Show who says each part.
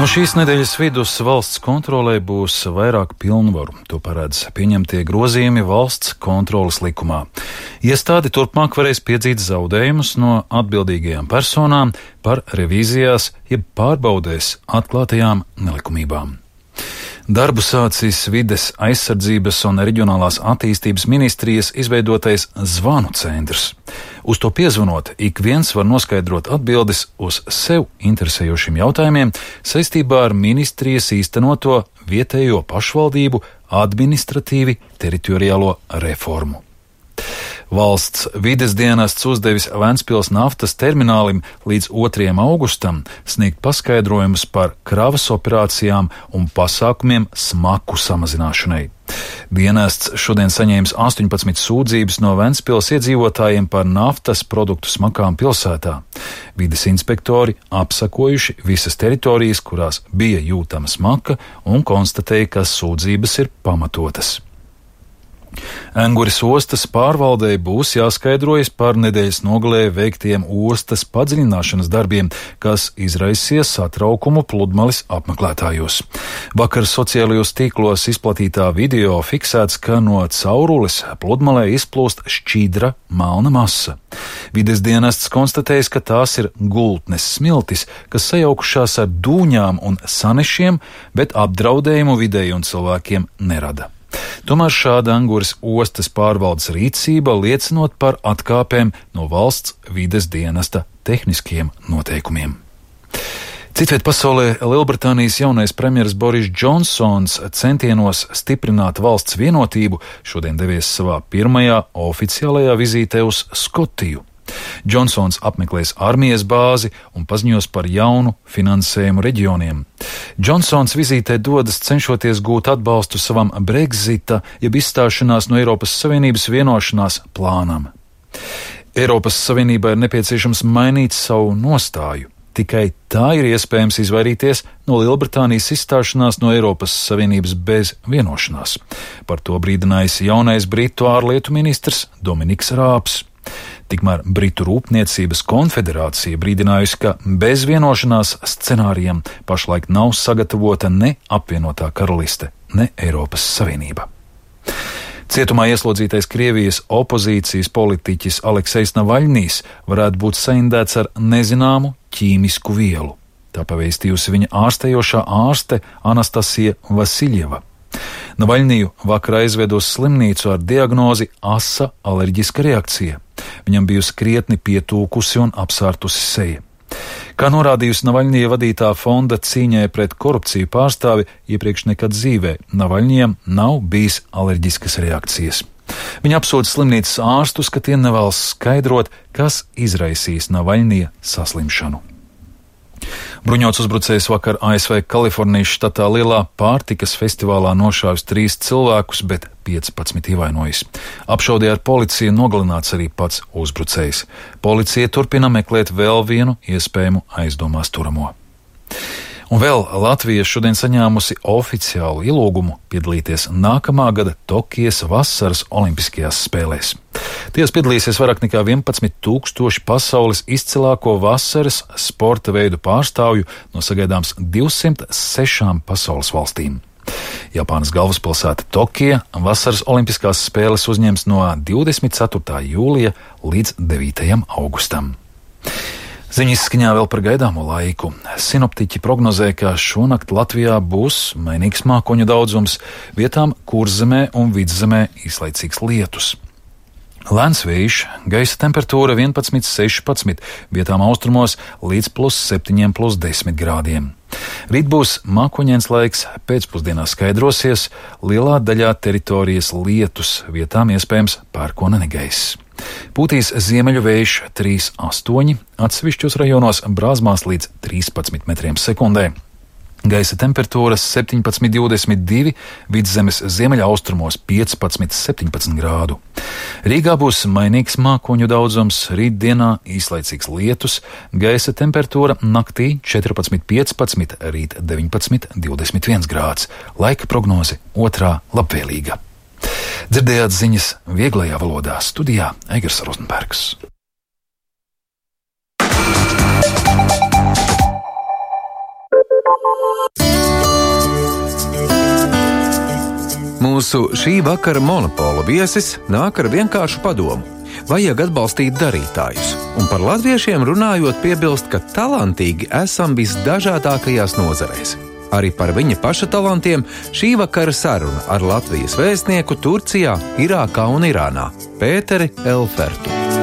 Speaker 1: No šīs nedēļas vidus valsts kontrolē būs vairāk pilnvaru. To paredz pieņemtie grozījumi valsts kontroles likumā. Iestāde turpmāk varēs piedzīt zaudējumus no atbildīgajām personām par revīzijās, jeb pārbaudēs atklātajām nelikumībām. Darbu sācis Vides aizsardzības un reģionālās attīstības ministrijas izveidotais zvanu centrs. Uz to piezvanot, ik viens var noskaidrot atbildes uz sev interesējošiem jautājumiem saistībā ar ministrijas īstenoto vietējo pašvaldību administratīvi teritoriālo reformu. Valsts vides dienests uzdevis Ventspils naftas terminālim līdz 2. augustam sniegt paskaidrojumus par kravas operācijām un pasākumiem smaku samazināšanai. Dienests šodien saņēmis 18 sūdzības no Ventspils iedzīvotājiem par naftas produktu smakām pilsētā. Vides inspektori apsakojuši visas teritorijas, kurās bija jūtama smaka, un konstatēja, ka sūdzības ir pamatotas. Enguris ostas pārvaldei būs jāskaidrojas par nedēļas nogalē veiktiem ostas padziļināšanas darbiem, kas izraisīs satraukumu pludmales apmeklētājos. Vakar sociālajos tīklos izplatītā video fiksēts, ka no caurules pludmalē izplūst šķidra melna masa. Vides dienests konstatējis, ka tās ir gultnes smiltis, kas sajaukušās ar dūņām un sanešiem, bet apdraudējumu videi un cilvēkiem nerada. Tomēr šāda Enguris ostas pārvaldes rīcība liecinot par atkāpēm no valsts vides dienesta tehniskiem noteikumiem. Citviet pasaulē Lielbritānijas jaunais premjeras Boris Džonsons centienos stiprināt valsts vienotību šodien devies savā pirmajā oficiālajā vizītē uz Skotiju. Džonsons apmeklēs armijas bāzi un paziņos par jaunu finansējumu reģioniem. Džonsons vizītē dodas cenšoties gūt atbalstu savam Brexita, jeb izstāšanās no Eiropas Savienības vienošanās plānam. Eiropas Savienībai ir nepieciešams mainīt savu nostāju. Tikai tā ir iespējams izvairīties no Lielbritānijas izstāšanās no Eiropas Savienības bez vienošanās. Par to brīdinājis jaunais Britu ārlietu ministrs Dominiks Rābs. Tikmēr Britu Rūpniecības konfederācija brīdinājusi, ka bez vienošanās scenārijiem pašlaik nav sagatavota ne apvienotā karaliste, ne Eiropas Savienība. Cietumā ieslodzītais Krievijas opozīcijas politiķis Aleksejs Navaļnijs varētu būt saindēts ar nezināmu ķīmisku vielu. Tā pavēstījusi viņa ārstējošā ārste Anastasija Vasiljeva. Navaļniju vakar aizved uz slimnīcu ar diagnozi asa alerģiska reakcija. Viņam bijusi krietni pietūkusi un apsārtusi seja. Kā norādījusi Navaļnija vadītā fonda cīņai pret korupciju pārstāvi, iepriekš nekad dzīvē Navaļnijam nav bijis alerģiskas reakcijas. Viņa apsūdz slimnīcas ārstus, ka tie nevēlas skaidrot, kas izraisīs Navaļnija saslimšanu. Bruņots uzbrucējs vakar ASV Kalifornijas štatā lielā pārtikas festivālā nošāvis 3 cilvēkus, bet 15 ievainojis. Apšaudē ar policiju nogalināts arī pats uzbrucējs. Policija turpina meklēt vēl vienu iespējamu aizdomās turamo. Un vēl Latvija šodien saņēmusi oficiālu ielūgumu piedalīties nākamā gada Tokijas vasaras olimpiskajās spēlēs. Tajās piedalīsies vairāk nekā 11,000 pasaules izcilāko vasaras sporta veidu pārstāvju no sagaidāms 206 pasaules valstīm. Japānas galvaspilsēta Tokija vasaras olimpiskās spēles uzņems no 24. jūlija līdz 9. augustam. Ziņas izskaņā vēl par gaidāmo laiku. Sinoptiķi prognozē, ka šonakt Latvijā būs mainīgs mākoņu daudzums, vietām Kurzemē un Vidzemē īslaicīgs lietus. Lēns vējš, gaisa temperatūra 11–16, vietām austrumos līdz +7, +10 grādiem. Rīt būs mākoņains laiks, pēcpusdienā skaidrosies, lielā daļā teritorijas lietus, vietām iespējams pērkona negaiss. Pūtīs ziemeļu vējš 3,8, atsevišķos rajonos brāzmās līdz 13 metriem sekundē. Gaisa temperatūras 17–22, vidzemes ziemeļaustrumos 15–17 grādu. Rīgā būs mainīgs mākoņu daudzums, rītdienā īslaicīgs lietus, gaisa temperatūra naktī 14–15, rīt 19–21 grāds. Laika prognoze otrā labvēlīga. Dzirdējāt ziņas vieglajā valodā, studijā Eigars Rozenbergs.
Speaker 2: Mūsu šī vakara monopola viesis nāk ar vienkāršu padomu. Vajag atbalstīt darītājus, un par latviešiem runājot piebilst, ka talantīgi esam visdažādākajās nozarēs. Arī par viņa paša talantiem šī vakara saruna ar Latvijas vēstnieku Turcijā, Irākā un Irānā Pēteri Elfertu.